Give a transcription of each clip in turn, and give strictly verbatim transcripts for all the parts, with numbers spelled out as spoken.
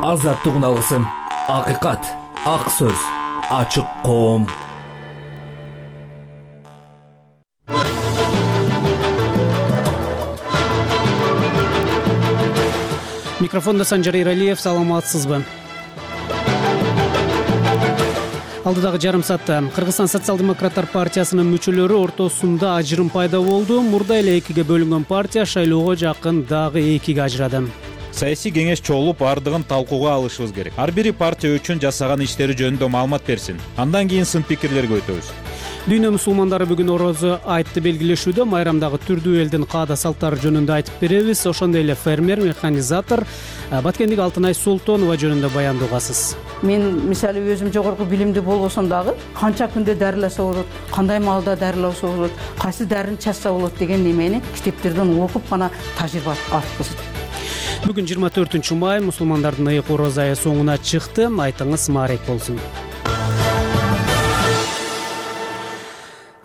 Азаттык алгысым, акыйкат, ак сөз, ачык коом. Микрофонда Санжар Иралиев, саламатсызбы? Алдыдагы жарым саатта Кыргызстан социал-демократтар партиясынын мүчөлөрү ортосунда ажырым пайда болду. Мурда эле экиге бөлүнгөн партия шайлоого жакын дагы экиге ажырады. Саясий кеңеш чогулуп, бардыгын талкууга алышыбыз керек. Ар бири партия үчүн жасаган иштери жөнүндө маалымат берсин. Андан кийин сын пикирлерге өтөбүз. Дүйнө мусулмандары бүгүн орозо айтты белгилешүүдө. Майрамдагы түрдүү элдин каада салттары жөнүндө айтып беребиз. Ошондой эле фермер, механизатор Баткендик Алтынай Султонова жөнүндө баяндоо угасыз. Мен мисалы өзүм жогорку билимди болбосом дагы канча күндө дарыласа болот, кандай маалда дарыласа болот, кайсы дарыны чачса болот деген немени китептерден окуп гана тажрыйба алып. Бүгүн жыйырма төртүнчү май, мусулмандардын ыйык орозо айы соңуна чыкты. Айтыңыз маарек болсун.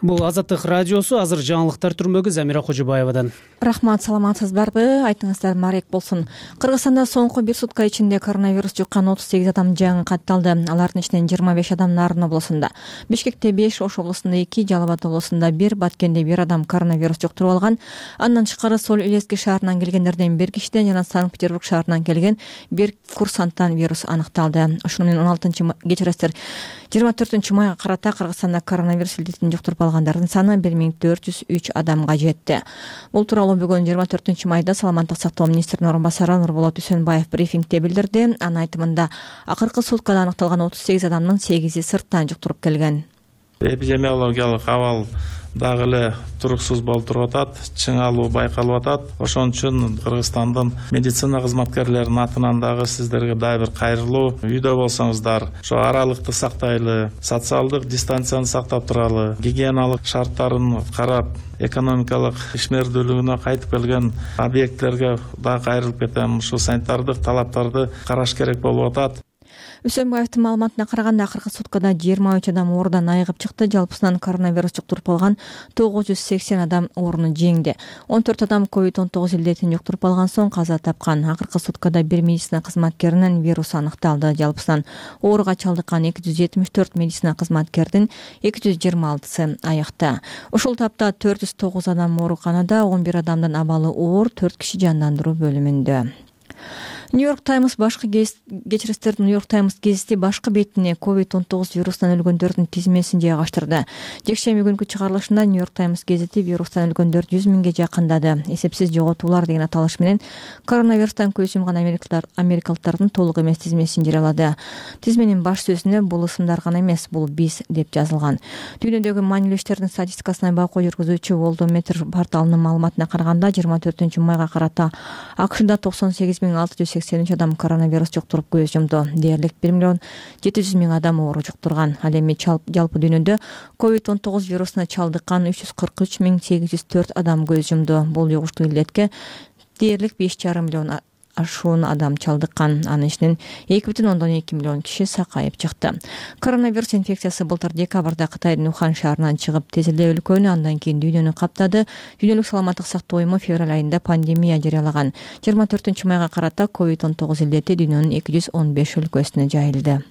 Бул Азаттык радиосу. Азыр жаңылыктар түрмөгү Замира Кожобаевадан. Рахмат, саламатсыздарбы? Айтыңыздар маарек болсун. Кыргызстанда соңку бир сутка ичинде коронавирус жуккан отуз сегиз адам жаңы катталды. Алардын ичинен жыйырма беш адам Нарын облусунда, Бишкекте беш, Ош облусунда эки, Жалал Абад облусунда бир, Баткенде бир адам коронавирус жуктуруп алган. Андан тышкары Сол Илески шаарынан келгендерден бир кишиден жана Санкт-Петербург шаарынан келген бир курсанттан вирус аныкталды. Ошону менен он алтынчы кечиресиздер жыйырма төртүнчү майга карата Кыргызстанда коронавирус илдетин жуктуруп алгандардын саны бир миң төрт жүз үч адамга жетти. Бул тууралуу бүгүн жыйырма төртүнчү майда Саламаттык сактоо министринин орун басары Нурболот Үсөнбаев брифингде билдирди. Анын айтымында акыркы суткада аныкталган отуз сегиз адамдын сегизи сырттан жуктуруп келген. Эпидемиологиялык абал дагы эле туруксуз болуп туруп атат, чыңалуу байкалып атат. Ошон үчүн Кыргызстандын медицина кызматкерлеринин атынан дагы сиздерге дагы бир кайрылуу. Үйдө болсоңуздар, ошо аралыкты сактайлы, социалдык дистанцияны сактап туралы, гигиеналык шарттарын карап, экономикалык ишмердүүлүгүнө кайтып келген объекттерге дагы кайрылып кетем. Ушул санитардык талаптарды караш керек болуп атат. Үсөнбаевдин маалыматына караганда акыркы суткада жыйырма үч адам оорудан айыгып чыкты. Жалпысынан коронавирус жуктуруп алган тогуз жүз сексен адам оорууну жеңди. он төрт адам ковид он тогуз илдетин жуктуруп алган соң каза тапкан. Акыркы суткада бир медицина кызматкеринин вирус аныкталды. Жалпысынан ооруга чалдыккан эки жүз жетимиш төрт медицина кызматкердин эки жүз жыйырма алтысы айыкта. Ушул тапта төрт жүз тогуз адам ооруканада, он бир адамдын абалы оор, төрт киши жандандыруу бөлүмүндө. Нью-Йорк Таймс башкы кечирестердин Нью-Йорк Таймс гезити башкы бетине ковид он тогуз вирусунан өлгөндөрдүн тизмесин жайгаштырды. Жекшемби күнкү чыгарылышында Нью-Йорк Таймс гезити вирустан өлгөндөр жүз миңге жакындады. Эсепсиз жоготуулар деген аталыш менен коронавирустан көз жумган америкалыктардын толук эмес тизмесин жарыялады. Тизменин баш сөзүнө бул ысымдар гана эмес, бул биз деп жазылган. Дүйнөдөгү маанилүү иштердин статистикасына байкоо жүргүзүүчү Worldometer порталынын маалыматына караганда жыйырма төртүнчү майга карата АКШда токсон сегиз миң алты жүз сексен үч адам коронавирус жуктуруп көз жумду. Дээрлик бир миллион жети жүз миң адам оору жуктурган. Ал эми жалпы дүйнөдө ковид он тогуз вирусуна чалдыккан үч жүз кырк үч миң сегиз жүз төрт адам көз жумду. Бул жугуштуу илдетке дээрлик беш жарым миллион ашуун адам чалдыккан. Анын ичинен эки бүтүн ондон эки миллион киши сакайып чыкты. Коронавирус инфекциясы былтыр декабрда Кытайдын Ухан шаарынан чыгып, тез эле өлкөнү, андан кийин дүйнөнү каптады. Дүйнөлүк саламаттык сактоо уюму февраль айында пандемия жарыялаган. жыйырма төртүнчү майга карата ковид он тогуз илдети дүйнөнүн эки жүз он беш өлкөсүнө жайылды.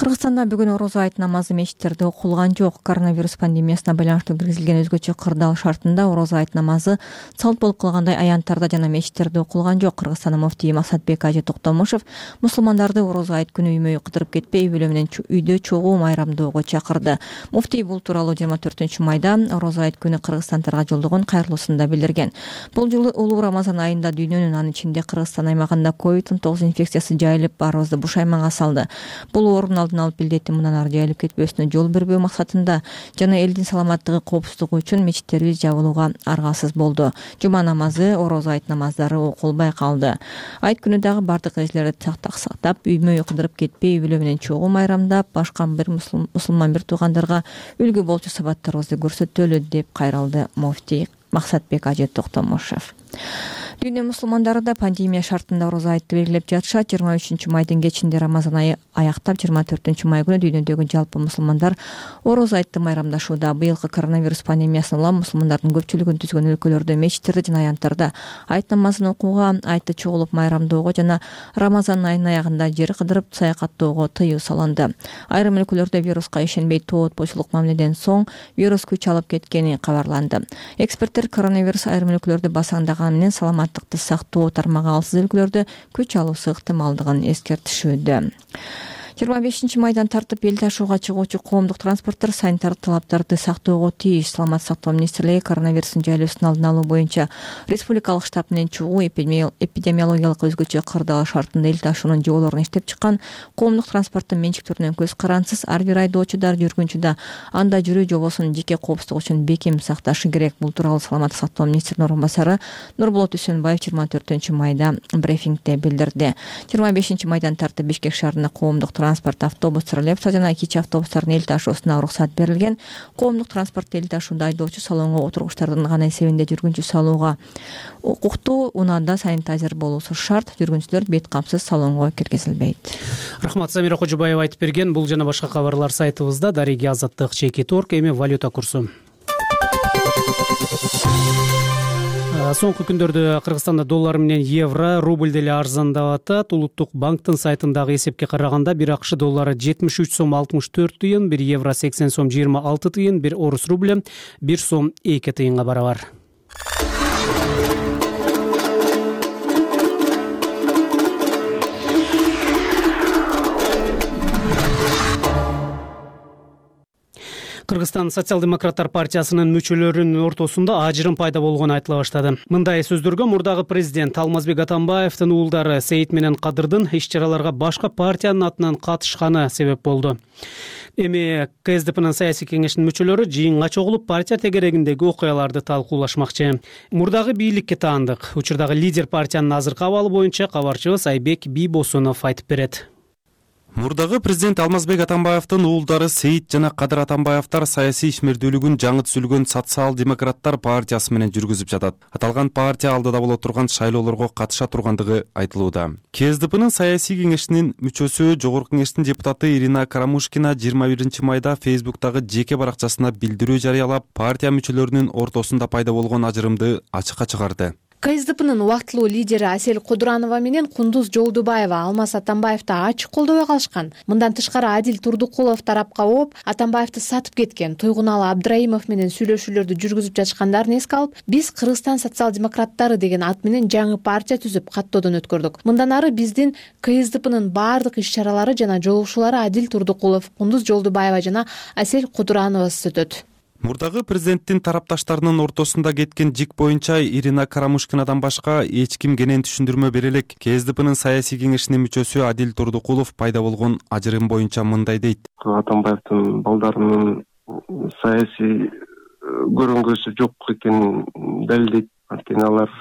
Кыргызстанда бүгүн орозо айт намазы мечиттерде окулган жок. Коронавирус пандемиясына байланыштуу киргизилген өзгөчө кырдаал шартында орозо айт намазы салт болуп калгандай аянттарда жана мечиттерде окулган жок. Кыргызстандын муфтийи Максатбек Ажы Токтомушев мусулмандарды орозо айт күнү үймөй кыдырып кетпей, үй бүлө менен үйдө чогуу майрамдоого чакырды. Муфтий бул тууралуу жыйырма төртүнчү майда орозо айт күнү кыргызстандыктарга жолдогон кайрылуусунда билдирген. Бул жылы улуу Рамазан айында дүйнөнүн, анын ичинде Кыргызстан аймагында ковид он тогуз инфекциясы жайылып, баарыбызды бушайманга салды. Бул оорунун алып билдети мындан ары жайылып кетпөсүнө жол бербөө максатында жана элдин саламаттыгы, коопсуздугу үчүн мечиттерибиз жабылууга аргасыз болду. Жума намазы, орозо айт намаздары окулбай калды. Айт күнү дагы бардык эрежелерди сактап, үймөй кыдырып кетпей, үй бүлө менен чогуу майрамдап, башка бир мусулман бир туугандарга үлгү болчу сабаттарыбызды көрсөтөлү деп кайрылды муфтий Максатбек Ажы Токтомушев. Дүйнө мусулмандары да пандемия шартында ороза айтты белгилеп жатышат. жыйырма үчүнчү майдын кечинде Рамазан айы аяктап, жыйырма төртүнчү май күнү дүйнөдөгү жалпы мусулмандар ороза айтты майрамдашууда. Быйылкы коронавирус пандемиясынан улам мусулмандардын көпчүлүгүн түзгөн өлкөлөрдө мечиттерде жана аянттарда айт намазын окууга, айтты чогулуп майрамдоого жана Рамазан айынын аягында жер кыдырып саякаттоого тыюу салынды. Айрым өлкөлөрдө вируска ишенбей тоотпочулук мамиледен соң вирус күч алып кеткени кабарланды. Эксперттер коронавирус айрым өлкөлөрдө басаңдаганы менен саламаттыкты сактоо тармагы алсыз өлкөлөрдө күч алуусу ыктымалдыгын эскертишүүдө. жыйырма бешинчи майдан тартып эл ташууга чыгуучу коомдук транспорттор санитар талаптарды сактоого тийиш. Саламаттык сактоо министрлиги коронавирустун жайлоосун алдын алуу боюнча республикалык штаб менен чыгуу, эпидемиологиялык өзгөчө кырдаал шартында эл ташуунун жолдорун иштеп чыккан коомдук транспорттун менчиктөрүнөн көз карансыз. Ар бир айдоочудар, жүргүнчү да анда жүрүү жобосунун жеке коопсуздугу үчүн бекем сакташы керек. Бул тууралуу саламаттык сактоо министринин орун басары Нурболот Үсөнбаев жыйырма төртүнчү майда брифингде билдирди. жыйырма бешинчи майдан тартып Бишкек шаарында коомдук транспорт, автобус, троллейбус жана кичи автобустардын эл ташуусуна уруксат берилген. Коомдук транспортто эл ташууда айдоочу, салонго отургучтардын гана эсебинде жүргүнчү салууга укуктуу, унаада санитайзер болуусу шарт. Жүргүнчүлөр бет камсыз салонго киргизилбейт. Рахмат, Самира Кожобаева айтып берген. Бул жана башка кабарлар сайтыбызда. Дариги Азаттык чеки торг. Эми валюта курсу. Соңку күндөрдө Кыргызстанда доллар менен евро, рубль деле арзандап атат. Улуттук банктын сайтындагы эсепке караганда бир акш доллары жетимиш үч сом алтымыш төрт тыйын, бир евро сексен сом жыйырма алты тыйын, бир орус рубль бир сом эки тыйынга барабар. Кыргызстан социал-демократтар партиясынын мүчөлөрүнүн ортосунда ажырым пайда болгону айтыла баштады. Мындай сөздөргө мурдагы президент Алмазбек Атамбаевдин уулдары Сейит менен Кадырдын иш-чараларга башка партиянын атынан катышканы себеп болду. Эми КСДПнын саясий кеңешинин мүчөлөрү жыйынга чогулуп партия тегерегиндеги окуяларды талкуулашмакчы. Мурдагы бийликке таандык. Учурдагы лидер партиянын азыркы абалы боюнча кабарчыбыз Айбек Бийбосунов айтып берет. Мурдагы президент Алмазбек Атамбаевдин уулдары Сейит жана Кадыр Атамбаевдар саясий ишмердүүлүгүн жаңы түзүлгөн социал-демократтар партиясы менен жүргүзүп жатат. Аталган партия алдыда боло турган шайлоолорго катыша тургандыгы айтылууда. КСДПнын саясий кеңешинин мүчөсү, жогорку кеңештин депутаты Ирина Карамушкина жыйырма биринчи майда Фейсбуктагы жеке баракчасына билдирүү жарыялап, партия мүчөлөрүнүн ортосунда пайда болгон ажырымды ачыкка чыгарды. КСДПнын убактылуу лидери Асель Кудуранова менен Кундуз Жолдубаева Алмаз Атамбаевди ачык колдобой калышкан. Мындан тышкары Адил Турдукулов тарапка ооп, Атамбаевди сатып кеткен Тойгуналы Абдраимов менен сүйлөшүүлөрдү жүргүзүп жатышкандарын эске алып, биз Кыргызстан социал-демократтары деген ат менен жаңы партия түзүп каттоодон өткөрдүк. Мындан ары биздин КСДПнын баардык иш-чаралары жана жолугушуулары Адил Турдукулов, Кундуз Жолдубаева жана Асель Кудурановасыз өтөт. Мурдагы президенттин тарапташтарынын ортосунда кеткен жик боюнча Ирина Карамушкинадан башка эч ким кенен түшүндүрмө бере элек. КСДПнын саясий кеңешинин мүчөсү Адил Турдукулов пайда болгон ажырым боюнча мындай дейт. Атамбаевдин балдарынын саясий көрөнгөсү жок экенин далилдейт. Анткени алар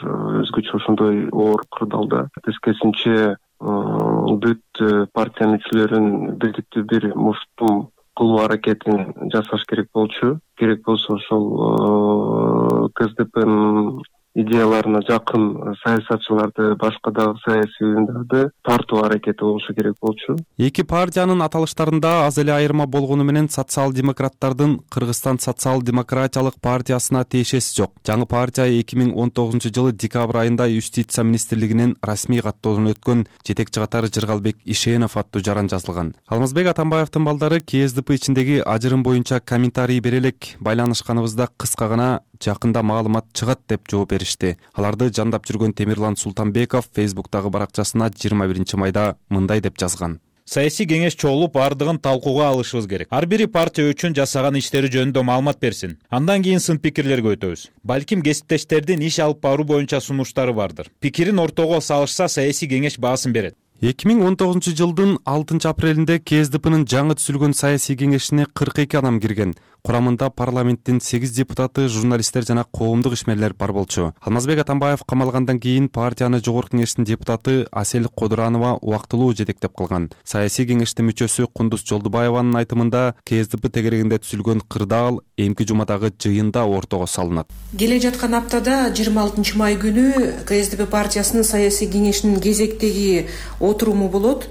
өзгөчө ошондой оор кырдаалда. Тескерисинче бүт партия мүчөлөрүн бирдиктүү бир муштум кылуу аракетин жасаш керек болчу. Керек болсо ошол КСДПнын идеяларына жакын саясатчыларды, башка дагы саясий уюмдарды тартуу аракети болушу керек болчу. Эки партиянын аталыштарында аз эле айырма болгону менен социал-демократтардын Кыргызстан социал-демократиялык партиясына тиешеси жок. Жаңы партия эки миң он тогузунчу жылы декабрь айында Юстиция министрлигинин расмий каттоодон өткөн жетекчи катары Жыргалбек Ишенов аттуу жаран жазылган. Алмазбек Атамбаевдин балдары КСДП ичиндеги ажырым боюнча комментарий бере элек, байланышканыбызда кыска гана жакында маалымат чыгат деп жооп беришти. Аларды жандап жүргөн Темирлан Султанбеков Фейсбуктагы баракчасына жыйырма биринчи майда мындай деп жазган. Саясий кеңеш чогулуп, бардыгын талкууга алышыбыз керек. Ар бири партия үчүн жасаган иштери жөнүндө маалымат берсин. Андан кийин сын пикирлерге өтөбүз. Балким кесиптештердин иш алып баруу боюнча сунуштары бардыр. Пикирин ортого салышса, саясий кеңеш баасын берет. эки миң он тогузунчу жылдын алтынчы апрелинде КСДПнын жаңы түзүлгөн саясий кеңешине кырк эки адам кирген. Курамында парламенттин сегиз депутаты, журналисттер жана коомдук ишмерлер бар болчу. Алмазбек Атамбаев камалгандан кийин партияны жогорку кеңештин депутаты Асель Кодуранова убактылуу жетектеп калган. Саясий кеңештин мүчөсү Кундуз Жолдубаеванын айтымында КСДП тегерегинде түзүлгөн кырдаал эмки жумадагы жыйында ортого салынат. Келе жаткан аптада жыйырма алтынчы май күнү КСДП партиясынын саясий кеңешинин кезектеги отуруму болот.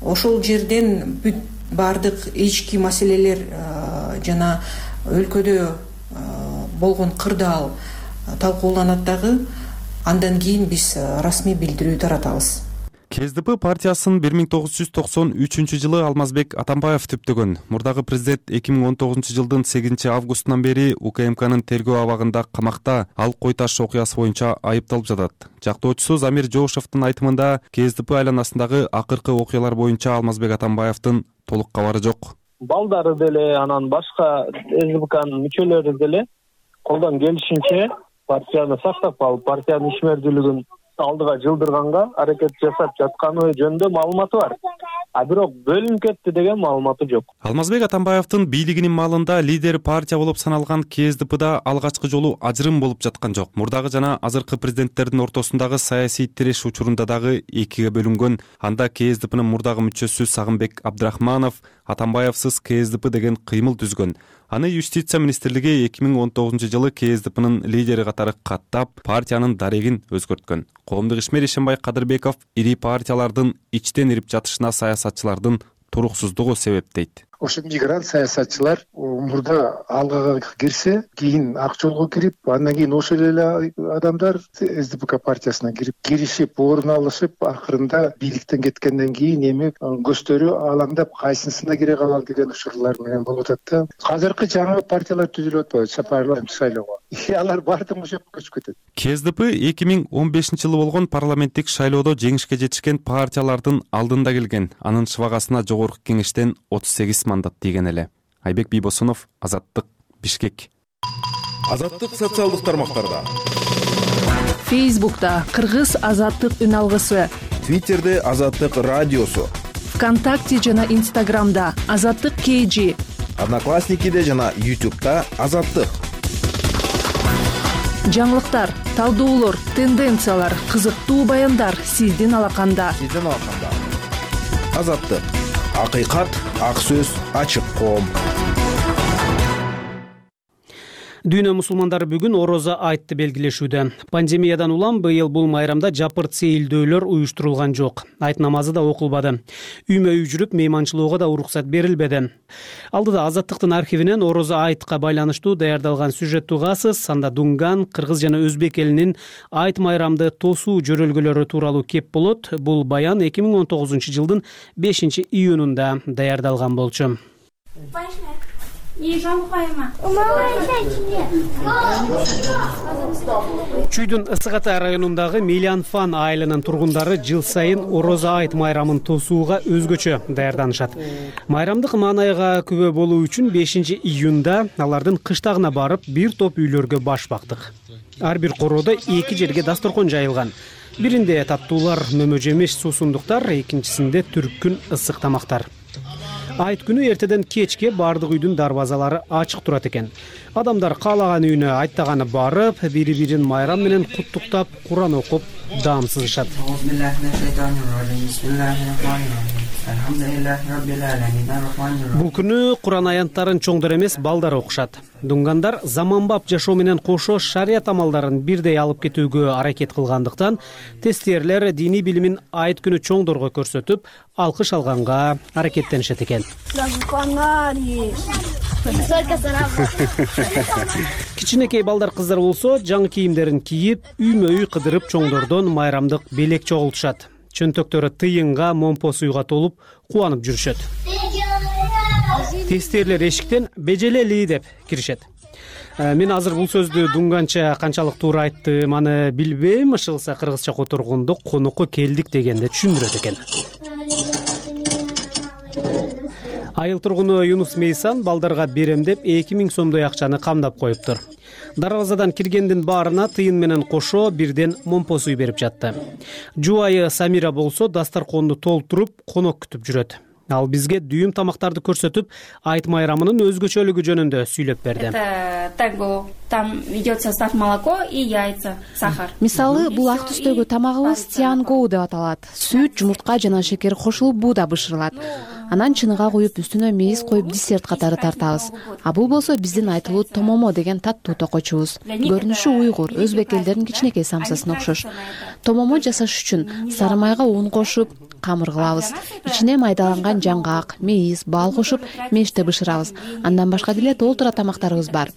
Ошол жерден бүт бардык ички маселелер жана өлкөдө болгон кырдаал талкууланат дагы. Андан кийин биз расмий билдирүү таратабыз. КСДП партиясын бир миң тогуз жүз токсон үчүнчү жылы Алмазбек Атамбаев түптөгөн. Мурдагы президент эки миң он тогузунчу жылдын сегизинчи августунан бери УКМКнын тергөө абагында камакта. Ал кой таш окуясы боюнча айыпталып жатат. Жактоочусу Замир Жоошевдун айтымында КСДП айланасындагы акыркы окуялар боюнча Алмазбек Атамбаевдин толук кабары жок. Балдары деле, анан башка СДПнын мүчөлөрү деле колдон келишинче партияны сактап калып, партиянын ишмердүүлүгүн алдыга жылдырганга аракет жасап жатканы жөнүндө маалыматы бар. А бирок бөлүнүп кетти деген маалыматы жок. Алмазбек Атамбаевдин бийлигинин маалында лидер партия болуп саналган КСДПда алгачкы жолу ажырым болуп жаткан жок. Мурдагы жана азыркы президенттердин ортосундагы саясий тиреш учурунда дагы экиге бөлүнгөн. Анда КСДПнын мурдагы мүчөсү Сагынбек Абдрахманов Атамбаевсыз КСДП деген кыймыл түзгөн. Аны юстиция министрлиги эки миң он тогузунчу жылы КСДПнын лидери катары каттап, партиянын дарегин өзгөрткөн. Коомдук ишмер Ишенбай Кадырбеков ири партиялардын ичтен ирип жатышына саясатчылардын туруксуздугу себеп дейт. Ошо мигрант саясатчылар мурда алгага кирсе, кийин ак жолго кирип, андан кийин ошол эле адамдар СДПК партиясына кирип, киришип, орун алышып, акырында бийликтен кеткенден кийин эми көздөрү алаңдап, кайсысына кире калалы деген учурлар менен болуп атат да. Азыркы жаңы партиялар түзүлүп атпайбы, парламент шайлоого. Алар бардык ошо жака көчүп кетет. КСДП эки миң он бешинчи жылы болгон парламенттик шайлоодо жеңишке жетишкен партиялардын алдында келген. Анын шыбагасына жогорку кеңештен отуз сегиз мандат тийген эле. Айбек Бийбосунов, Азаттык, Бишкек. Азаттык социалдык тармактарда. Фейсбукта Кыргыз Азаттык үн алгысы. Твиттерде Азаттык радиосу. ВКонтакте жана Инстаграмда Азаттык кей жи. Одноклассникиде жана Ютубта Азаттык. Жаңылыктар, талдоолор, тенденциялар, кызыктуу баяндар сиздин алаканда. Сиздин алаканда. Азаттык. Акыйкат, ак сөз, ачык коом. Дүйнө мусулмандары бүгүн орозо айтты белгилешүүдө. Пандемиядан улам быйыл бул майрамда жапырт сейилдөөлөр уюштурулган жок. Айт намазы да окулбады. Үймө үй жүрүп мейманчылоого да уруксат берилбеди. Алдыда Азаттыктын архивинен орозо айтка байланыштуу даярдалган сюжет угасыз. Анда Дунган, кыргыз жана өзбек элинин айт майрамды тосуу жөрөлгөлөрү тууралуу кеп болот. Бул баян эки миң он тогузунчу жылдын бешинчи июнунда даярдалган болчу. Чүйдүн Ысык Атай районундагы Мелианфан айылынын тургундары жыл сайын орозо айт майрамын тосууга өзгөчө даярданышат. Майрамдык маанайга күбө болуу үчүн бешинчи июнда алардын кыштагына барып, бир топ үйлөргө баш бактык. Ар бир короодо эки жерге дасторкон жайылган. Биринде таттуулар, мөмө жемиш, суусундуктар, экинчисинде түркүн ысык тамактар. Айт күнү эртеден кечке бардык үйдүн дарбазалары ачык турат экен. Адамдар каалаган үйүнө айттаганы барып, бири-бирин майрам менен куттуктап, Куран окуп, даам сызышат. Бул күнү Куран аянттарын чоңдор эмес, балдар окушат. Дунгандар заманбап жашоо менен кошо шарият амалдарын бирдей алып кетүүгө аракет кылгандыктан, тестирлер диний билимин айт күнү чоңдорго көрсөтүп, алкыш алганга аракеттенишет экен. Кичинекей балдар кыздар болсо, жаңы кийимдерин кийип, үймө үй кыдырып чоңдордон майрамдык белек чогултушат. Чөнтөктөрү тыйынга, момпо суйга толуп, кубанып жүрүшөт. Тестирлер эшиктен бежелели деп киришет. Мен азыр бул сөздү дунганча канчалык туура айттым, аны билбейм, ышылса кыргызча которгондо конокко келдик дегенде түшүндүрөт экен. Айыл тургуну Юнус Мейсан балдарга берем деп эки миң сомдой акчаны камдап коюптур. Дарбазадан киргендин баарына тыйын менен кошо бирден момпос үй берип жатты. Жубайы Самира болсо дастарконду толтуруп, конок күтүп жүрөт. Ал бизге дүйүм тамактарды көрсөтүп, айт майрамынын өзгөчөлүгү жөнүндө сүйлөп берди. Это танго, там идет состав молоко и яйца, сахар. Мисалы, бул ак түстөгү тамагыбыз тиангоу деп аталат. Сүт, жумуртка жана шекер кошулуп бууда бышырылат. Анан чыныга куюп, үстүнө мейиз коюп десерт катары тартабыз. А бул болсо биздин айтылуу томомо деген таттуу токочубуз. Көрүнүшү уйгур, өзбек элдеринин кичинекей самсасына окшош. Томомо жасаш үчүн сары майга ун кошуп, камыр кылабыз. Ичине майдаланган жаңгак, мейиз, бал кошуп, меште бышырабыз. Андан башка деле толтура тамактарыбыз бар.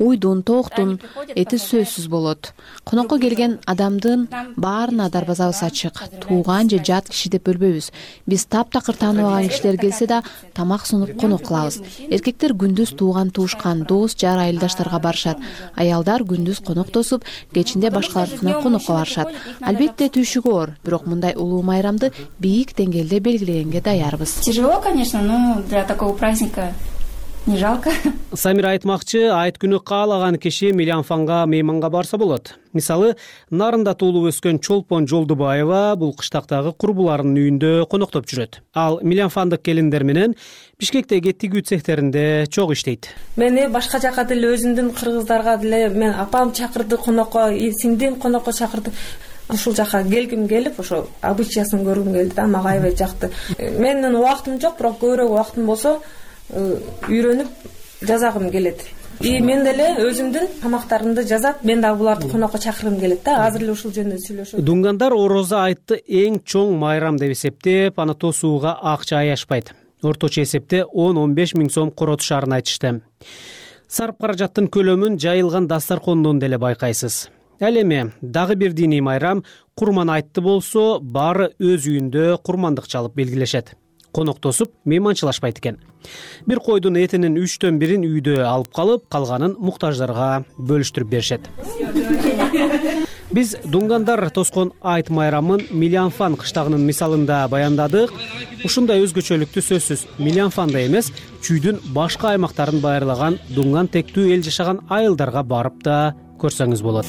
Уйдун, тооктун эти сөзсүз болот. Конокко келген адамдын баарына дарбазабыз ачык. Тууган же жат киши деп бөлбөйбүз. Биз таптакыр тааныбаган кишилер келсе да тамак сунуп конок кылабыз. Эркектер күндүз тууган туушкан, дос, жар, айылдаштарга барышат. Аялдар күндүз конок тосуп, кечинде башкалардыкына конокко барышат. Албетте түйшүгү оор, бирок мындай улуу майрамды бийик деңгээлде белгилегенге даярбыз. Тяжело, конечно, но для такого праздника не жалко. Самира айтмакчы, айт күнү каалаган киши Милянфанга мейманга барса болот. Мисалы, Нарында туулуп өскөн Чолпон Жолдубаева бул кыштактагы курбуларынын үйүндө коноктоп жүрөт. Ал Милянфандык келиндер менен Бишкектеги тигүү цехтеринде чогуу иштейт. Мени башка жака деле өзүмдүн кыргыздарга деле мен апам чакырды конокко, сиңдим конокко чакырды. Ушул жака келгим келип, ошо обычаясын көргүм келди да, мага аябай жакты. Менин убактым жок, бирок көбүрөөк убактым болсо үйрөнүп жасагым келет. И мен деле өзүмдүн тамактарымды жасап, мен дагы буларды конокко чакыргым келет да. Азыр эле ушул жөнүндө сүйлөшөбүз. Дунгандар орозо айтты эң чоң майрам деп эсептеп, аны тосууга акча аяшпайт. Орточо эсепте он он беш миң сом коротушарын айтышты. Сарп каражаттын көлөмүн жайылган дастаркондон деле байкайсыз. Ал эми дагы бир диний майрам курман айтты болсо, баары өз үйүндө курмандык чалып белгилешет. Конок тосуп, мейманчылашпайт экен. Бир койдун этинин үчтөн бирин үйдө алып калып, калганын муктаждарга бөлүштүрүп беришет. Биз дунгандар тоскон айт майрамын Милянфан кыштагынын мисалында баяндадык. Ушундай өзгөчөлүктү сөзсүз Милянфанда эмес, чүйдүн башка аймактарын байырлаган дунган тектүү эл жашаган айылдарга барып да көрсөңүз болот.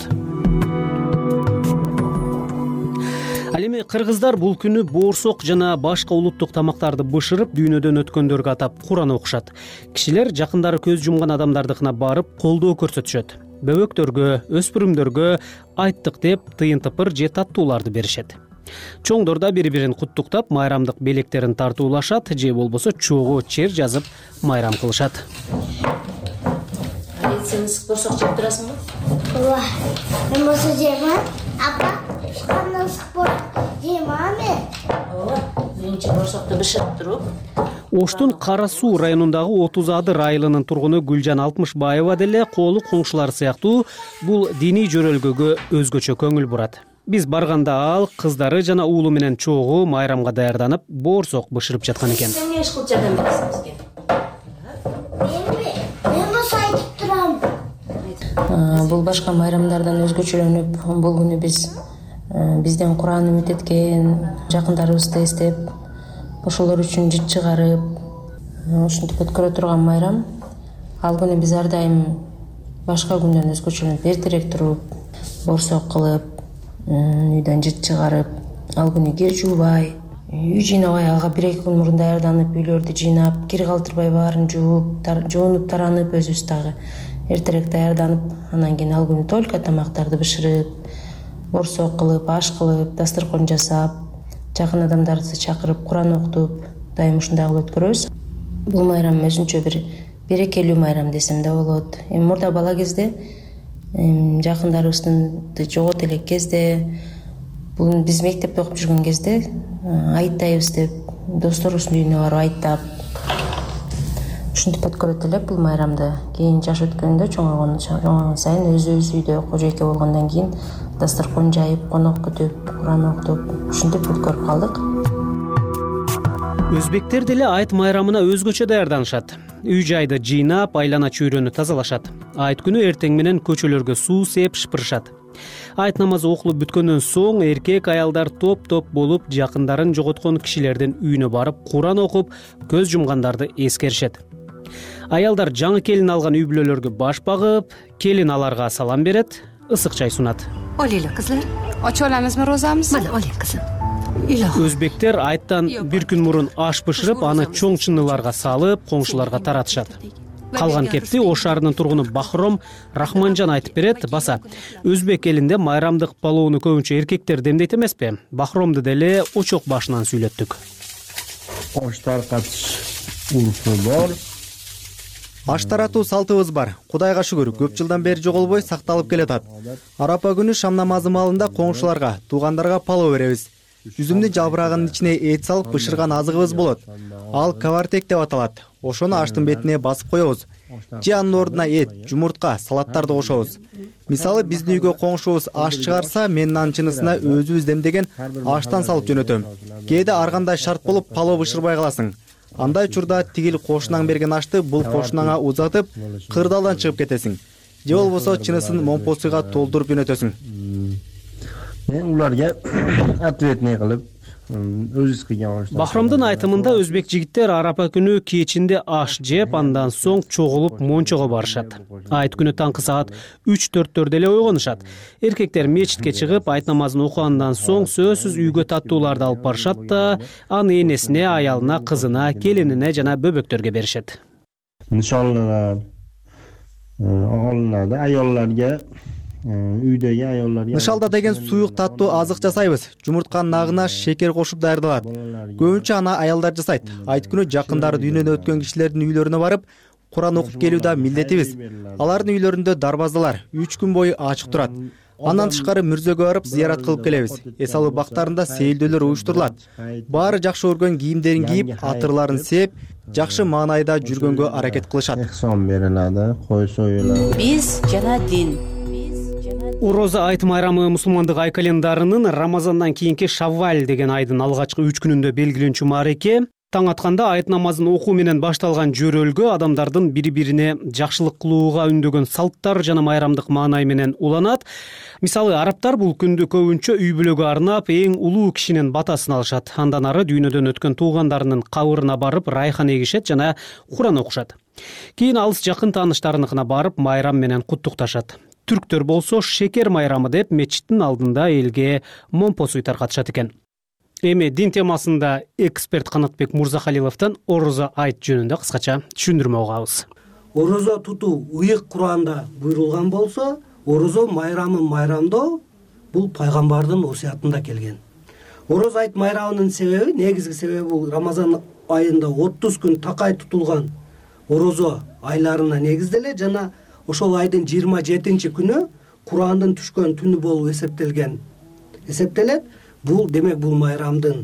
Ал эми кыргыздар бул күнү боорсок жана башка улуттук тамактарды бышырып, дүйнөдөн өткөндөргө атап Куран окушат. Кишилер жакындары көз жумган адамдардыкына барып колдоо көрсөтүшөт. Бөбөктөргө, өспүрүмдөргө айттык деп тыйын тыпыр же таттууларды беришет. Чоңдор да бири-бирин куттуктап, майрамдык белектерин тартуулашат же болбосо чогуу чер жазып майрам кылышат. Сен ысык боорсок жеп турасыңбы? Ооба. Мен болсо жеймин. Апа, кандай ысык боорсок жеймин мен? Ооба. Биринчи боорсокту бышырып туруп. Оштун Кара Суу районундагы отуз Адыр айылынын тургуну Гүлжан Алтмышбаева деле колу коңшулары сыяктуу бул диний жөрөлгөгө өзгөчө көңүл бурат. Биз барганда ал кыздары жана уулу менен чогуу майрамга даярданып, боорсок бышырып жаткан экен. Сен эмне иш кылып жардам бересиң бизге? Мен болсо айтып турам. Бул башка майрамдардан өзгөчөлөнүп, бул күнү биз бизден Куран үмүт эткен жакындарыбызды эстеп, ошолор үчүн жыт чыгарып, ушинтип өткөрө турган майрам. Ал күнү биз ар дайым башка күндөн өзгөчөлөнүп, эртерээк туруп, боорсок кылып, үйдөн жыт чыгарып, ал күнү кир жуубай, үй жыйнабай, ага бир эки күн мурун даярданып, үйлөрдү жыйнап, кир калтырбай баарын жууп, жуунуп таранып, өзүбүз дагы эртерээк даярданып, анан кийин ал күнү только тамактарды бышырып, боорсок кылып, аш кылып, дастаркон жасап, жакын адамдарды чакырып, Куран окутуп, дайым ушундай кылып өткөрөбүз. Бул майрам өзүнчө бир берекелүү майрам десем да болот. Эми мурда бала кезде жакындарыбызды жогот элек кезде, бул биз мектепте окуп жүргөн кезде айттайбыз деп, досторубуздун үйүнө барып айттап, ушинтип өткөрөт элек бул майрамды. Кийин жаш өткөндө, чоңойгон сайын өзүбүз үйдө кожойке болгондон кийин дастаркон жайып, конок күтүп, Куран окутуп, ушинтип өткөрүп калдык. Өзбектер деле айт майрамына өзгөчө даярданышат. Үй жайды жыйнап, айлана чөйрөнү тазалашат. Айт күнү эртең менен көчөлөргө суу сээп шыпырышат. Айт намазы окулуп бүткөндөн соң эркек аялдар топ-топ болуп жакындарын жоготкон кишилердин үйүнө барып Куран окуп, көз жумгандарды эскеришет. Аялдар жаңы келин алган үй бүлөлөргө баш багып, келин аларга салам берет, ысык чай сунат. Олейле кызлар, ачып аламызбы розамызды? Мына олей кызым. Өзбектер айттан бир күн мурун аш бышырып, аны чоң чыныларга салып, коңшуларга таратышат. Калган кепти Ош шаарынын тургуну Бахром Рахманжан айтып берет. Баса, өзбек элинде майрамдык палоону көбүнчө эркектер демдейт эмеспи? Бахромду деле очок башынан сүйлөттүк. Аш таркатыш урфу бар. Аш таратуу салтыбыз бар. Кудайга шүгүр, көп жылдан бери жоголбой сакталып келатат. Арапа күнү шам намазы маалында коңшуларга, туугандарга палоо беребиз. Жүзүмдүн жалбырагынын ичине эт салып бышырган азыгыбыз болот. Ал кавартек деп аталат. Ошону аштын бетине басып коебуз. Же анын ордуна эт, жумуртка, салаттарды кошобуз. Мисалы, биздин үйгө коңшубуз аш чыгарса, мен анын чынысына өзүбүз демдеген аштан салып жөнөтөм. Кээде ар кандай шарт болуп палоо бышырбай каласың. Андай учурда тигил кошунаң берген ашты бул кошунаңа узатып, кырдаалдан чыгып кетесиң. Же болбосо чынысын момпосуйга толтуруп жөнөтөсүң. Мен уларга ответный кылып, өзүбүз кыйган аш. Бахромдун айтымында өзбек жигиттер арапа күнү кечинде аш жеп, андан соң чогулуп мончого барышат. Айт күнү таңкы саат үч төрттөрдө эле ойгонушат. Эркектер мечитке чыгып, айт намазын окугандан соң сөзсүз үйгө таттууларды алып барышат да, аны энесине, аялына, кызына, келинине жана бөбөктөргө беришет. Нишанлар алынады, аялдарга, үйдөгү аялдарга. Нышалда деген суюк таттуу азык жасайбыз. Жумуртканын нагына шекер кошуп даярдалат. Көбүнчө аны аялдар жасайт. Айт күнү жакындары дүйнөдөн өткөн кишилердин үйлөрүнө барып, Куран окуп келүү да милдетибиз. Алардын үйлөрүндө дарбаздалар үч күн бою ачык турат. Андан тышкары мүрзөгө барып зыярат кылып келебиз. Эс алуу бактарында сейилдөөлөр уюштурулат. Баары жакшы көргөн кийимдерин кийип, атырларын сээп, жакшы маанайда жүргөнгө аракет кылышат. Сон берилат, кой союлат. Биз жана дин. Ороза айт майрамы мусулмандык ай календарынын Рамазандан кийинки Шавваль деген айдын алгачкы үч күнүндө белгиленчү маареке. Таң атканда айт намазын окуу менен башталган жөрөлгө адамдардын бири-бирине жакшылык кылууга үндөгөн салттар жана майрамдык маанай менен уланат. Мисалы, арабтар бул күндү көбүнчө үй бүлөгө арнап, эң улуу кишинин батасын алышат. Андан ары дүйнөдөн өткөн туугандарынын кабырына барып, райхан эгишет жана Куран окушат. Кийин алыс жакын тааныштарыныкына барып, майрам менен куттукташат. Түрктөр болсо шекер майрамы деп мечиттин алдында элге момпосуй таркатышат экен. Эми дин темасында эксперт Канатбек Мурзахалиловдон орозо айт жөнүндө кыскача түшүндүрмө угабыз. Орозо тутуу ыйык Куранда буйрулган болсо, орозо майрамын майрамдоо бул пайгамбардын осуятында келген. Орозо айт майрамынын себеби, негизги себеби бул Рамазан айында отуз күн такай тутулган орозо айларына негизделе жана ошол айдын жыйырма жетинчи күнү Курандын түшкөн түнү болуп эсептелген. Эсептелет. Бул демек бул майрамдын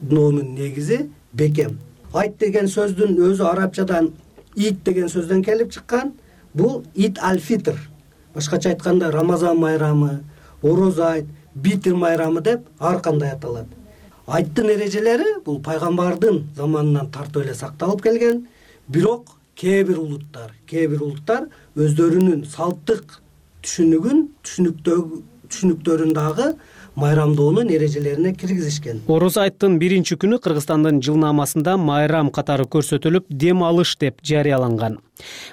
номунун негизи бекем. Айт деген сөздүн өзү арабчадан ит деген сөздөн келип чыккан. Бул ит аль-фитр. Башкача айтканда Рамазан майрамы, орозо айт, битир майрамы деп ар кандай аталат. Айттын эрежелери бул пайгамбардын заманынан тартып эле сакталып келген. Бирок кээ бир улуттар, кээ бир улуттар өздөрүнүн салттык түшүнүгүн, түшүнүктөрүн дагы майрамдоонун эрежелерине киргизишкен. Орозо айттын биринчи күнү Кыргызстандын жылнаамасында майрам катары көрсөтүлүп, дем алыш деп жарыяланган.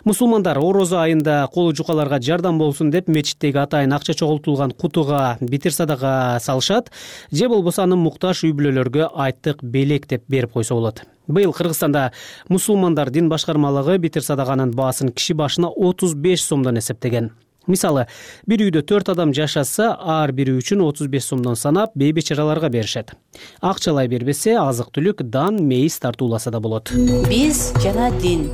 Мусулмандар орозо айында колу жукаларга жардам болсун деп мечиттеги атайын акча чогултулган кутуга битир садака салышат, же болбосо аны муктаж үй бүлөлөргө айттык белек деп берип койсо болот. Быйыл Кыргызстанда мусулмандар дин башкармалыгы битир садаканын баасын киши башына отуз беш сомдон эсептеген. Мисалы, бир үйдө төрт адам жашаса, ар бири үчүн отуз беш сомдон санап, бейбечараларга беришет. Акчалай бербесе, азык-түлүк, дан, мейиз тартууласа да болот. Биз жана дин.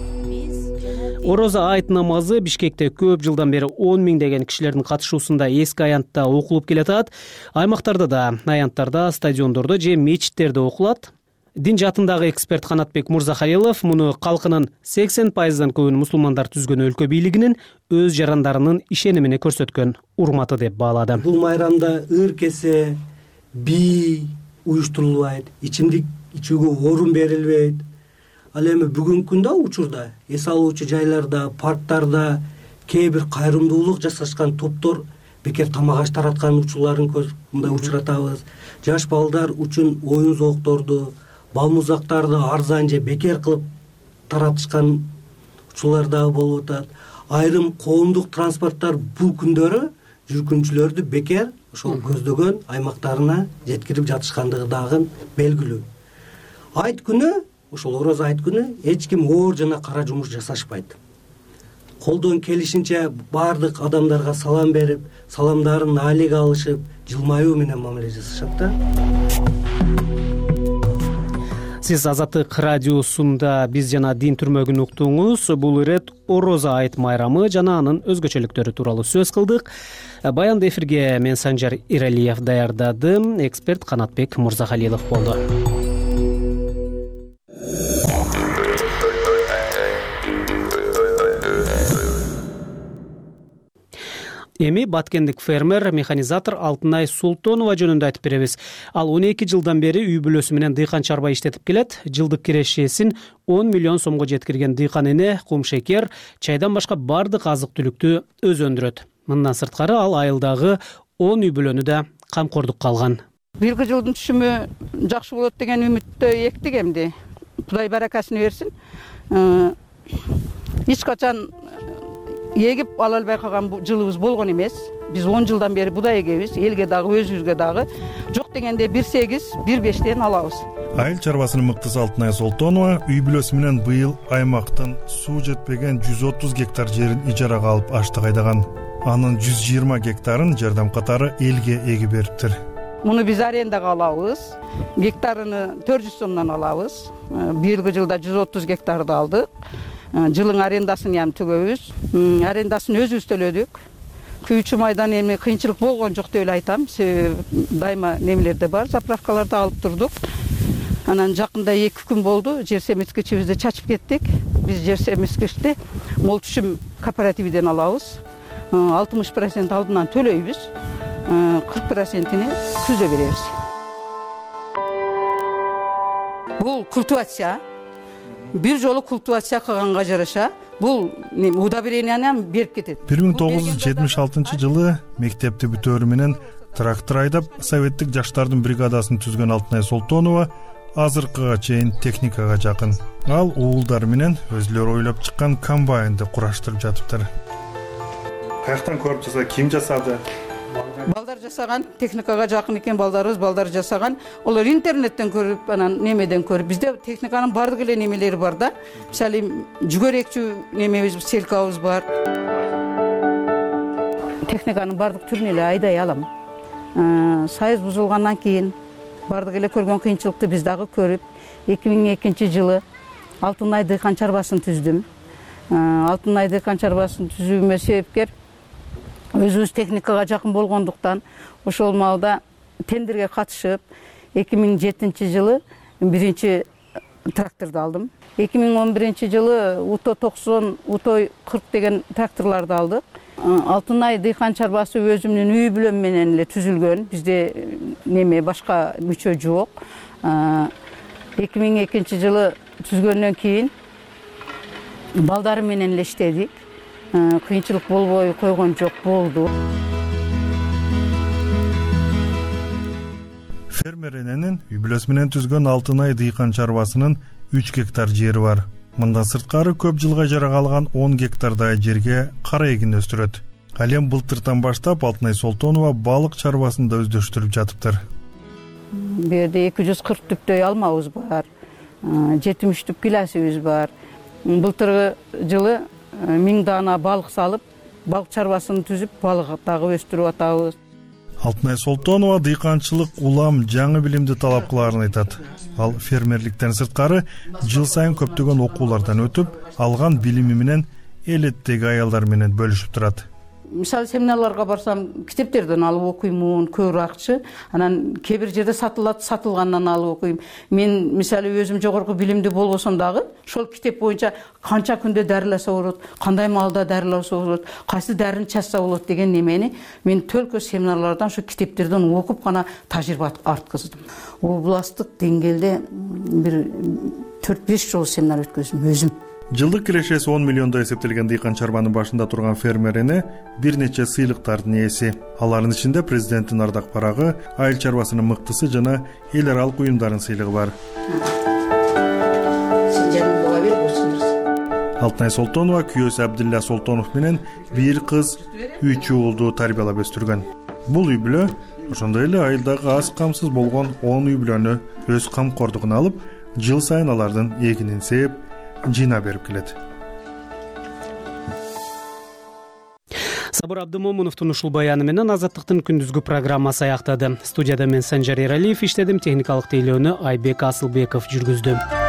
Орозо айт намазы Бишкекте көп жылдан бери он миңдеген кишилердин катышуусунда эски аянтта окулуп келатат. Аймактарда да, аянттарда, стадиондордо же мечиттерде окулат. Дин жаатындагы эксперт Канатбек Мурзахалилов муну калкынын сексен пайыздан көбүн мусулмандар түзгөн өлкө бийлигинин өз жарандарынын ишенимине көрсөткөн урматы деп баалады. Бул майрамда ыр кесе, бий уюштурулбайт, ичимдик ичүүгө орун берилбейт. Ал эми бүгүнкү күндө учурда эс алуучу жайларда, парктарда кээ бир кайрымдуулук жасашкан топтор бекер тамак аш тараткан учурларын мындай учуратабыз. Жаш балдар үчүн оюн зоокторду, бал музактарды арзан же бекер кылып таратышкан учурлар дагы болуп атат. Айрым коомдук транспорттор бул күндөрү жүргүнчүлөрдү бекер ошол көздөгөн аймактарына жеткирип жатышкандыгы дагы белгилүү. Айт күнү, ошол ороз айт күнү эч ким оор жана кара жумуш жасашпайт. Колдон келишинче баардык адамдарга салам берип, саламдарын алеге алышып, жылмаюу менен мамиле жасашат да. Сиз Азаттык радиосунда биз жана дин түрмөгүн уктуңуз. Бул ирет Орозо айт майрамы жана анын өзгөчөлүктөрү тууралуу сөз кылдык. Баянды эфирге мен Санжар Иралиев даярдадым. Эксперт Канатбек Мурзахалилов болду. Эми баткендик фермер, механизатор Алтынай Султонова жөнүндө айтып беребиз. Ал он эки жылдан бери үй бүлөсү менен дыйкан чарба иштетип келет. Жылдык кирешесин он миллион сомго жеткирген дыйкан эне кум шекер, чайдан башка бардык азык-түлүктү өзү өндүрөт. Мындан сырткары ал айылдагы он үй бүлөнү да камкордукка алган. Бирги жылдын түшүмү жакшы болот деген үмүттө эктик эмди. Кудай баракасын берсин. Эч качан эгип ала албай калган жылыбыз болгон эмес. Биз он жылдан бери будай эгебиз, элге дагы өзүбүзгө дагы жок дегенде бир сегиз, бир бештен алабыз. Айыл чарбасынын мыктысы Алтынай Султонова үй бүлөсү менен быйыл аймактын суу жетпеген жүз отуз гектар жерин ижарага алып аштык айдаган. Анын жүз жыйырма гектарын жардам катары элге эгип бериптир. Муну биз арендага алабыз. Гектарыны төрт жүз сомдон алабыз. Бирги жылда жүз отуз гектарды алдык. Жылың арендасын ям түгөбүз. Арендасын өзүбүз төлөдүк. Күйүүчү майдан эми кыйынчылык болгон жок деп эле айтам. Себеби дайыма немелерде бар, заправкаларда алып турдук. Анан жакында эки күн болду, жер семирткичибизди чачып кеттик. Биз жер семирткичти мол түшүм кооперативден алабыз. алтымыш процент алдынан төлөйбүз. кырк процентини күздө беребиз. Бул культивация. Бир жолу культивация кылганга жараша бул удобренияны берип кетет. бир миң тогуз жүз жетимиш алтынчы жылы мектепти бүтөөрү менен трактор айдап советтик жаштардын бригадасын түзгөн Алтынай Султонова азыркыга чейин техникага жакын. Ал уулдар менен өзүлөрү ойлоп чыккан комбайнды кураштырып жатыптыр. Каяктан көрүп жасады, ким жасады? Балдар жасаган, техникага жакын экен балдарыбыз, балдар жасаган. Олар интернеттен көрүп, анан немеден көрүп. Бизде техниканын бардык эле немелери бар да. Мисалы, жүгөрөкчү немебиз, селкабыз бар. Техниканын бардык түрүн эле айдай алам. Сайыз бузулгандан кийин бардык эле көргөн кыйынчылыкты биз дагы көрүп, эки миң экинчи жылы Алтынай дыйкан чарбасын түздүм. Алтынай дыйкан чарбасын түзүүмө себепкер өзүбүз техникага жакын болгондуктан ошол маалда тендерге катышып эки миң жетинчи жылы биринчи тракторду алдым. эки миң он биринчи жылы Уто токсон, Уто кырк деген тракторлорду алдык. Алтынай дыйкан чарбасы өзүмдүн үй бүлөм менен эле түзүлгөн. Бизде неме башка мүчө жок. эки миң экинчи жылы түзгөндөн кийин балдарым менен эле иштедик. Кыйынчылык болбой койгон жок, болду. Фермер эненин үй бүлөсү менен түзгөн Алтынай дыйкан чарбасынын үч гектар жери бар. Мындан сырткары көп жылга ижарага алган он гектардай жерге кара эгин өстүрөт. Ал эми былтыртан баштап Алтынай Султонова балык чарбасын да өздөштүрүп жатыптыр. Бу жерде эки жүз кырк түптөй алмабыз бар. жетимиш түп гиласыбыз бар. Былтыркы жылы миң даана балык салып, балык чарбасын түзүп, балык дагы өстүрүп атабыз. Алтынай Султонова дыйканчылык улам жаңы билимди талап кылаарын айтат. Ал фермерликтен сырткары жыл сайын көптөгөн окуулардан өтүп, алган билими менен элеттеги аялдар менен бөлүшүп турат. Мисалы семинарларга барсам, китептерден алып окуймун, көбүракчы. Анан кээ бир жерде сатылат, сатылгандан алып окуйм. Мен мисалы өзүм жогорку билимди болбосом дагы, ошол китеп боюнча канча күндө дарыласа болот, кандай маалда дарыласа болот, кайсы дарыны чачса болот деген немени мен төлкө семинарлардан, ошо китептерден окуп гана тажрыйба арткыздым. Областтык деңгээлде бир төрт беш жолу семинар өткөздүм өзүм. жылдык кирешеси он миллиондо эсептелген дыйкан чарбанын башында турган фермер эне бир нече сыйлыктардын ээси. Алардын ичинде президенттин ардак барагы, айыл чарбасынын мыктысы жана эл аралык уюмдардын сыйлыгы бар. Алтынай Солтонова күйөөсү Абдилла Солтонов менен бир кыз, үч уулду тарбиялап өстүргөн. Бул үй бүлө ошондой эле айылдагы аз камсыз болгон он үй бүлөнү өз камкордугуна алып, жыл сайын алардын эгинин сээп, жыйнап берип келет. Сабыр Абдымомуновдун ушул баяны менен Азаттыктын күндүзгү программасы аяктады. Студияда мен Санжар Эралиев иштедим, техникалык тейлөөнү Айбек Асылбеков жүргүздү.